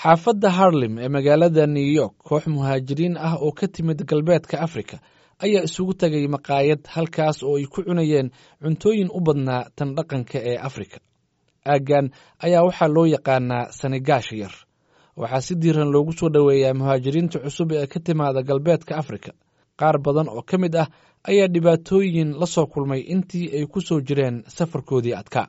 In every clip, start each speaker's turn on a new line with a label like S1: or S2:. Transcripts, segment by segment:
S1: Xaafadda Harlem ee magaalada New York, koox muhaajiriin ah oo ka timid galbeedka Afrika ayaa isugu tagay maqaayad, halkaas oo ay ku cunayeen cuntooyin u badnaa tan dhaqanka ee Afrika. Aaggan ayaa waxaa loo yaqaanaa Senegaasha Yar. Waxaa si diiran loogu soo dhoweeyaa muhaajiriinta cusub ee ka timaada galbeedka Afrika. Qaar badan oo ka mid ah ayaa dhibaatooyin la soo kulmay intii ay ku soo jireen safarkoodii adkaa.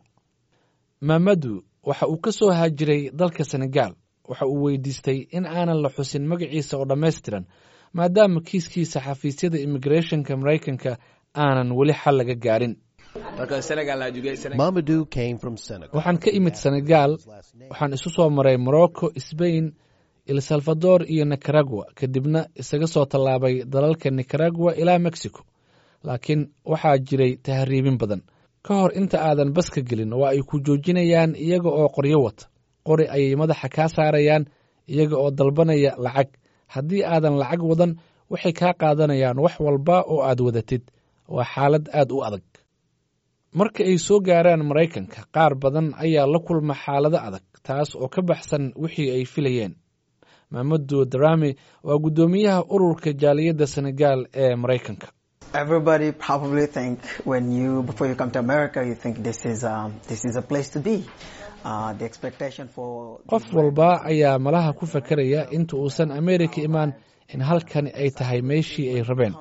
S1: Mamadu waxa uu ka soo haajiray dalka Senegaal. Waxa uu weydiistay in aanan la xusin magaciisa oo dhammaystiran, maadaama kiiskiisa xafiisyada immigrethonka Maraykanka aanan weli xal laga gaarin. Waxaan ka imid Senegaal. Waxaan isu soo maray Morocco, Sbain, El Salvador iyo Nicaragua, kadibna isaga soo tallaabay dalalka Nicaragua ilaa Mexico. Laakiin waxaa jiray tahriibin badan. Ka hor inta aadan baska gelin, waa ay ku joojinayaan iyaga oo qoryo wata. Qori ayay madaxa kaa saarayaan iyaga oo dalbanaya lacag. Haddii aadan lacag wadan, waxay kaa qaadanayaan wax walba oo aad wadatid. Waa xaalad aad u adag. Marka ay soo gaaraan Maraykanka, qaar badan ayaa la kulma xaalado adag, taas oo ka baxsan wixii ay filayeen. Mamadu Darami waa guddoomiyaha ururka jaaliyadda Senegaal ee Maraykanka. Qof walba ayaa malaha ku fakaraya inta uusan Ameerika imaan in halkani ay tahay meeshii ay rabeen.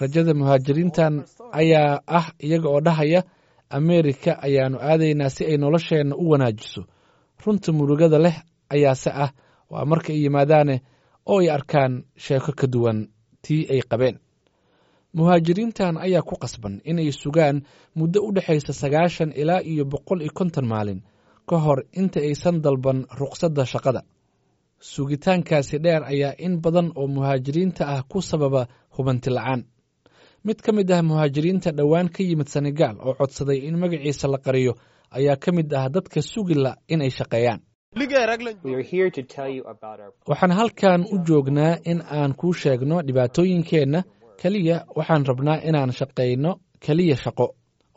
S1: Rajada muhaajiriintan ayaa ah iyaga oo dhahaya, "Ameerika ayaannu aadaynaa si ay nolosheenna u wanaajiso." Runta murugada leh ayaase ah waa marka ay yimaadaane oo ay arkaan sheeko ka duwan tii ay qabeen. Muhaajiriintan ayaa ku qasban inay sugaan muddo u dhexaysa 90 ilaa iyo 150 maalin ka hor inta aysan dalban ruqsadda shaqada. Sugitaankaasi dheer ayaa in badan oo muhaajiriinta ah ku sababa hubanti la'aan. Mid ka mid ah muhaajiriinta dhowaan ka yimid Senegaal oo codsaday in magaciisa la qariyo ayaa ka mid ah dadka sugila inay shaqeeyaan. Waxaan halkan u joognaa in aan kuu sheegno dhibaatooyinkeenna. Keliya waxaan rabnaa inaan shaqayno, keliya shaqo.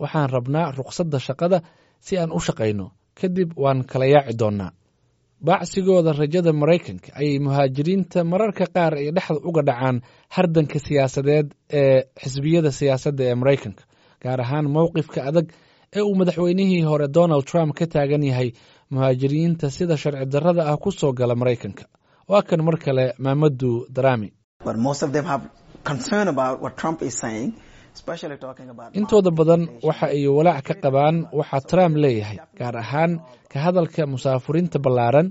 S1: Waxaan rabnaa ruqsadda shaqada si aan u shaqayno, kadib waan kala yaaci doonnaa. Baacsigooda rajada Maraykanka ayay muhaajiriinta mararka qaar ay dhexda uga dhacaan hardanka siyaasadeed ee xisbiyada siyaasadda ee Maraykanka, gaar ahaan mowqifka adag ee uu madaxweynihii hore Donald Trump ka taagan yahay muhaajiriinta sida sharci darrada ah ku soo gala Maraykanka. Waa kan mar kale Maamadu Darami. Intooda badan waxa ay walaac ka qabaan waxa Trump leeyahay, gaar ahaan ka hadalka musaafuriinta ballaaran.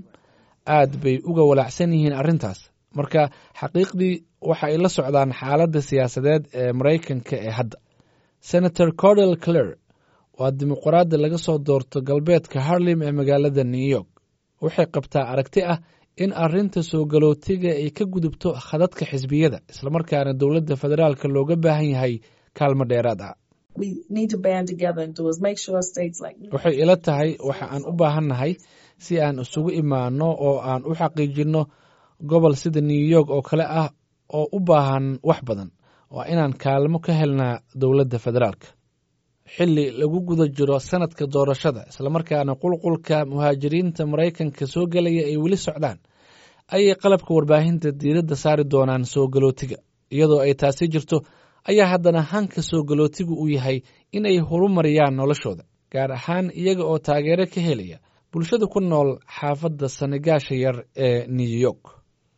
S1: Aad bay uga walaacsan yihiin arrintaas. Marka xaqiiqdii waxa ay la socdaan xaaladda siyaasadeed ee Maraykanka ee hadda. Senator Cordel Clare waa dimuqraadi laga soo doorto galbeedka Harlem ee magaalada New York. Waxay qabtaa aragti ah in arrinta soo galootiga ay ka gudubto khadadka xisbiyada, islamarkaana dowladda federaalka looga baahan yahay kaalmo dheeraad ah. Waxay ila tahay waxa aan u baahannahay si aan isugu imaanno oo aan u xaqiijinno gobol sida New York oo kale ah oo u baahan wax badan, waa inaan kaalmo ka helnaa dowladda federaalka. Xilli lagu guda jiro sanadka doorashada, islamarkaana qulqulka muhaajiriinta Maraykanka soo gelaya ay weli socdaan, ayay qalabka warbaahinta diiradda saari doonaan soo galootiga. Iyadoo ay taasi jirto ayaa haddana hanka soo galootigu uu yahay inay horumariyaan noloshooda, gaar ahaan iyaga oo taageero ka helaya bulshada ku nool xaafadda Senegaasha Yar ee New York.